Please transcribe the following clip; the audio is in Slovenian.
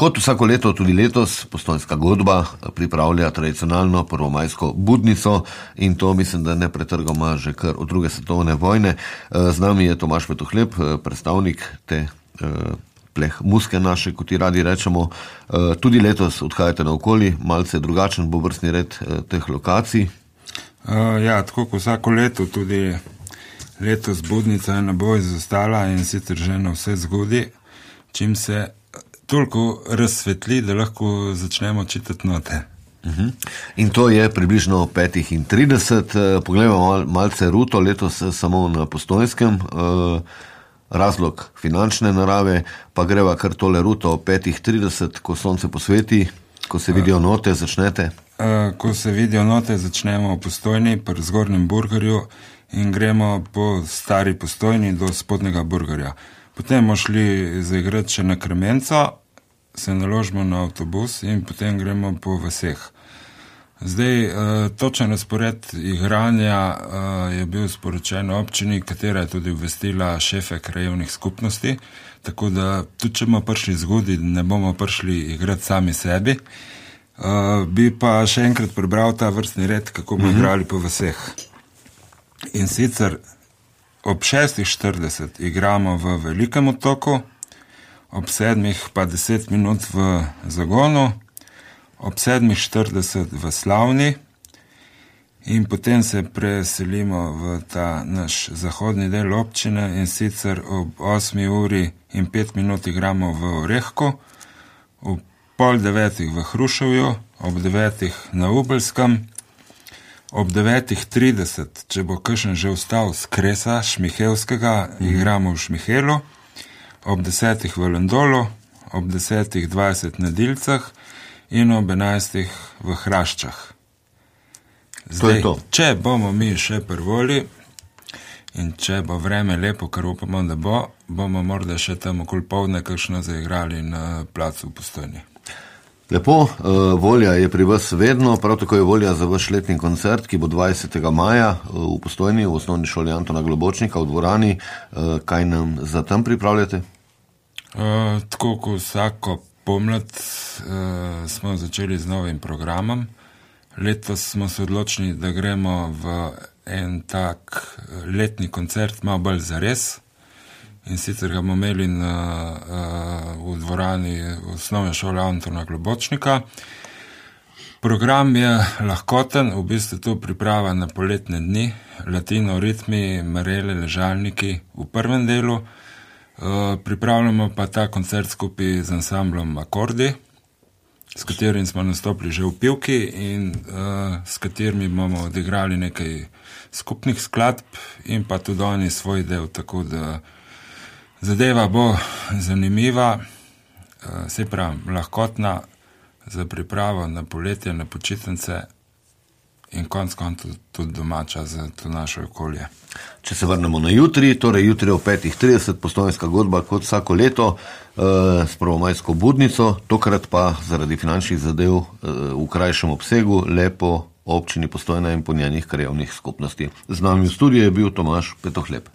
Kot vsako leto, tudi letos Postojnska godba pripravlja tradicionalno prvomajsko budnico in to mislim, da ne pretrgoma že kar od druge svetovne vojne. Z nami je Tomaž Petohlep, predstavnik te pleh muske naše, kot ji radi rečemo. Tudi letos odhajate naokoli, malce drugačen bo vrstni red teh lokacij. Ja, tako kot vsako leto, tudi letos budnica ne bo izostala in sicer že na vse zgodi, čim se toliko razsvetli, da lahko začnemo čitati note. In to je približno 5:30. Pogledamo malce ruto, letos samo na Postojnskem. Razlog finančne narave, pa greva kar tole ruto 5:30, ko sonce posveti, ko se vidijo note, začnete? Ko se vidijo note, začnemo v Postojni, pri Zgornjem Burgerju in gremo po stari Postojni do Spodnjega Burgerja. Potem bomo šli zaigrati še na Kremenco, se naložimo na avtobus in potem gremo po vaseh. Zdaj, točen razpored igranja je bil sporočen občini, katera je tudi obvestila šefe krajevnih skupnosti, tako da tudi če bomo prišli zgodaj, ne bomo prišli igrati sami sebi. Bi pa še enkrat prebral ta vrstni red, kako bomo igrali po vaseh. In sicer ob 6:40 igramo v Velikem otoku, ob 7 pa 10 minut v Zagonu, ob 7:40 v Slavni in potem se preselimo v ta naš zahodni del občine in sicer ob 8:05 igramo v Orehku, ob 8:30 v Hruševju, ob 9 na Ubelskem, ob 9:30, če bo kakšen že vstal z Kresa Šmihelskega, igramo v Šmihelu, ob 10 v Lendolu, ob 10:20 na Dilcah in ob 11 v Hraščah. Zdaj, če bomo mi še prvoli in če bo vreme lepo, kar upamo, da bomo morda še tam okoli povdne kakšno zaigrali na placu v Postojni. Lepo, volja je pri vas vedno, prav tako je volja za vaš letni koncert, ki bo 20. maja v Postojni, v osnovni šoli Antona Globočnika v dvorani. Kaj nam za tam pripravljate? Tako kot vsako pomlad smo začeli z novim programom. Letos smo se odločili, da gremo v en tak letni koncert, malo bolj zares. In sicer ga bomo imeli v dvorani osnovne šole Antona Globočnika. Program je lahkoten, v bistvu to priprava na poletne dni, latino, ritmi, marele, ležalniki v prvem delu. Pripravljamo pa ta koncert skupaj z ansamblom Akordi, s katerim smo nastopili že v Pivki in s katerimi bomo odigrali nekaj skupnih skladb in pa tudi oni svoj del, tako da zadeva bo zanimiva, se pravi lahkotna za pripravo na poletje, na počitnice in konc tudi domača za to naše okolje. Če se vrnemo na jutri, torej jutri o 5:30 Postojnska godba kot vsako leto s prvomajsko budnico, tokrat pa zaradi finančnih zadev v krajšem obsegu, lepo občini Postojna in po njenih krajevnih skupnosti. Z nami v studiu je bil Tomaž Petohlep.